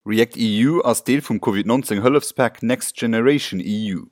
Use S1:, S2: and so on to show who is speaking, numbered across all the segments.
S1: React-EU ass Deel vum Covid 19 Hëllefspak Next Generation EU.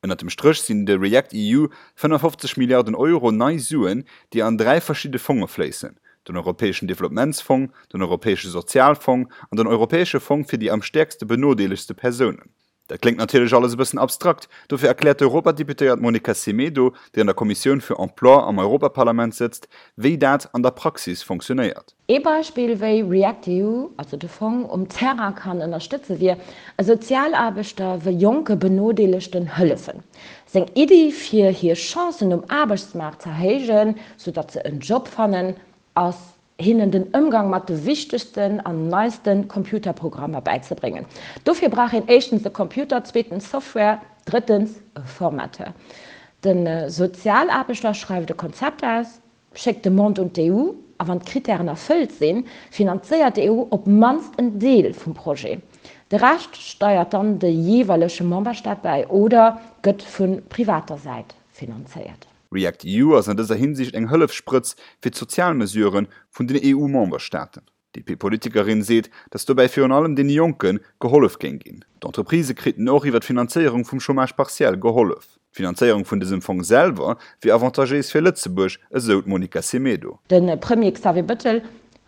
S1: Ënnert dem Stréch sinn de React-EU 55 Milliarden Euro nei Suen, déi an 3 verschidde Fonge fléissen, den Europäeschen Developpementsfong, den Europäesche Sozialfong an den Europäesche Fong fir déi am stäerkste benodeelegste Persounen. Dat kléngt natierlech alles e bëssen abstrakt, dofir erkläert d'Europadeputéiert Monica Semedo, déi an der Kommissioun fir Emploi am Europaparlament sëtzt, wéi dat an der Praxis fonctionéiert.
S2: Ee Beispill, wéi React-EU, also de Fong, um Terrain kann ënnerstëtze wier, e Sozialaarbechter wëll jonke Benodeelegten hëllefen. Seng Iddi, fir hir Chancen um Aarbechtsmaart z'erhéijen, soudatt se en Job fannen, ass hinnen den Ëmgang mat de wichtegsten an neiste Computerprogrammer bäizebréngen. Dofir brauch een éischtens e Computer, zweetens Software, drëttens e Formateur. De Sozialaarbechter schreift e Konzept aus, schéckt d'Demande un d'EU a wann d'Krittären erfëllt sinn, finanzéiert d'EU op d'mannst en Deel vum Projet. De Rescht steiert dann de jeeweilege Memberstaat bäi oder gëtt vu privater Säit finanzéiert.
S1: React-EU ass an dëser Hinsicht eng Hëllefssprëtz fir d'Sozialmesurë vun den EU-Memberstaaten. D'DP-Politikerin seet, datt dobäi virun allem deene Jonke gehollef géing ginn. D'Entreprisë kriten och iwwer d'Finanzéierung vum Chômage partiel gehollef. D'Finanzéierung vun dësem Fong selwer wier avantagéis fir Lëtzebuerg, esou d'Monica Semedo.
S2: De Premier Xavier Bettel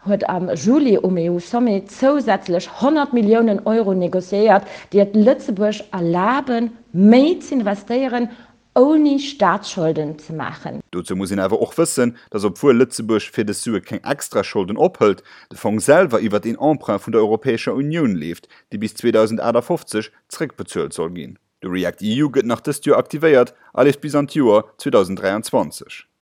S2: huet am Juli um EU-Sommet zousätzlech 100 Milliounen Euro negociéiert, déi et Lëtzebuerg erlaben, méi z'investéieren ouni Staatsscholden ze maachen.
S1: Dozou muss een awer och wëssen, datt obwuel Lëtzebuerg fir dës Sue keng extra Scholden ophëlt, de Fong selwer iwwert een Emprunt vun der Europäescher Unioun leeft, dee bis 2058 zréckbezuelt soll ginn. De React-EU gëtt nach dëst Joer aktivéiert a leeft bis an d'Joer 2023.